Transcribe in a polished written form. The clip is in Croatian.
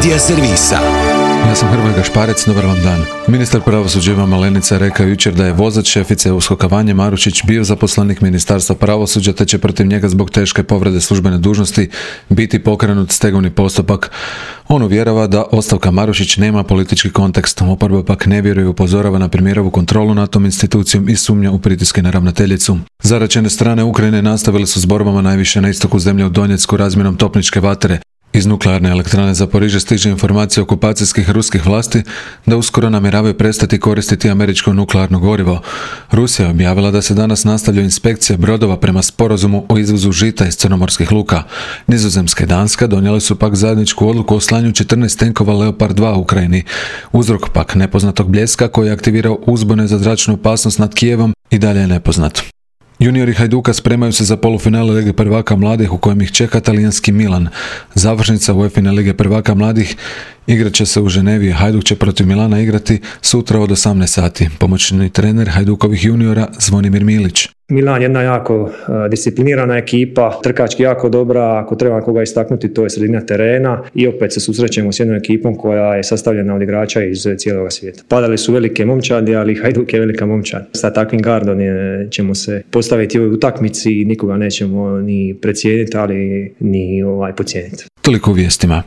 Media servisa. Ja sam Hrvoje Gašparec, dobar vam dan. Ministar pravosuđa Ivan Malenica rekao jučer da je vozač šefice USKOK-a Vanje Marušić bio zaposlenik Ministarstva pravosuđa te će protiv njega zbog teške povrede službene dužnosti biti pokrenut stegovni postupak. On uvjerava da ostavka Marušić nema politički kontekst, oporba pak ne vjeruje i upozorava na premijerovu kontrolu nad tom institucijom i sumnja u pritiske na ravnateljicu. Zaraćene strane Ukrajine nastavile su s borbama najviše na istoku zemlje u Donjecku razmjenom topničke vatre. Iz nuklearne elektrane Zaporižje stiže informacija okupacijskih ruskih vlasti da uskoro namjeravaju prestati koristiti američko nuklearno gorivo. Rusija je objavila da se danas nastavlja inspekcija brodova prema sporazumu o izvozu žita iz crnomorskih luka. Nizozemska i Danska donijeli su pak zajedničku odluku o slanju 14 tenkova Leopard 2 u Ukrajini. Uzrok pak nepoznatog bljeska koji je aktivirao uzbune za zračnu opasnost nad Kijevom i dalje je nepoznat. Juniori Hajduka spremaju se za polufinale Lige prvaka mladih u kojem ih čeka talijanski Milan. Završnica UEFA Lige prvaka mladih igrat će se u Ženevi. Hajduk će protiv Milana igrati sutra od 18 sati. Pomoćni trener Hajdukovih juniora Zvonimir Milić. Milan je jedna jako disciplinirana ekipa, trkački jako dobra, ako treba koga istaknuti to je sredina terena i opet se susrećemo s jednom ekipom koja je sastavljena od igrača iz cijelog svijeta. Padali su velike momčadi, ali Hajduk je velika momčad. Sa takvim gardom ćemo se postaviti u ovoj utakmici i nikoga nećemo ni precijeniti, ali ni podcijeniti. Toliko u vijestima.